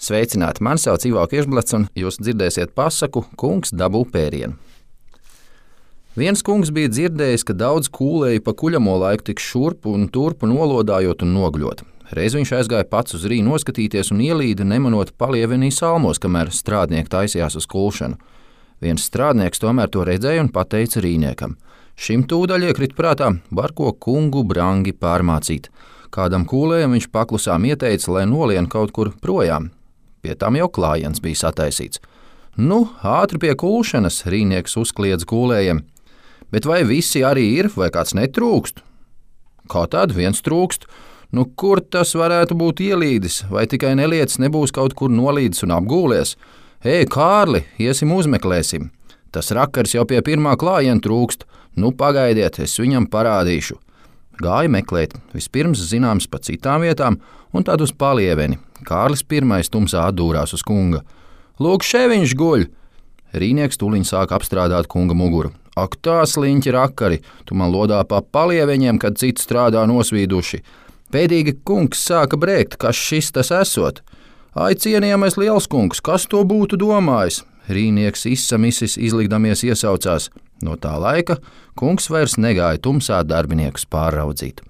Sveicināti, mani sauc Ivo Kirsblats, un jūs dzirdēsiet pasaku Kungs dabū pērienu. Viens kungs bija dzirdējis, ka daudz kūlēju pa kuļamo laiku tik šurpu un turpu nolodājot un nogļot. Reiz viņš aizgāja pats uz rīnu noskatīties un ielīda nemanot palievenī salmos, kamēr strādnieki taisījās uz kulšanu. Viens strādnieks tomēr to redzēja un pateica rīniekam: šim tūdaļ iekrit prātā, var ko kungu brangi pārmācīt. Kādam kūlējam viņš paklusām ieteica, lai nolien kaut kur projām. Pie tam jau klājiens bija sataisīts. Nu, ātri pie kulšanas, rīnieks uzkliedz kūlējiem. Bet vai visi arī ir, vai kāds netrūkst? Kā tad viens trūkst? Nu, kur tas varētu būt ielīdis, vai tikai nelietis nebūs kaut kur nolīdis un apgūlies? Ej, Kārli, iesim uzmeklēsim. Tas rakars jau pie pirmā klājiena trūkst. Nu, pagaidiet, es viņam parādīšu. Gāja meklēt, vispirms zināms pa citām vietām, un tad uz palieveni. Kārlis pirmais tumsā atdūrās uz kunga. Lūk, še viņš guļ! Rīnieks tūliņ sāk apstrādāt kunga muguru. Ak, tā sliņķi rakari, tu man lodā pa palieveņiem, kad citi strādā nosvīduši. Pēdīgi kungs sāka brēkt, kas šis tas esot. Ai, cienījamais liels kungs, kas to būtu domājis? Rīnieks izsamisis izlikdamies iesaucās. No tā laika kungs vairs negāja tumsā darbiniekus pārraudzīt.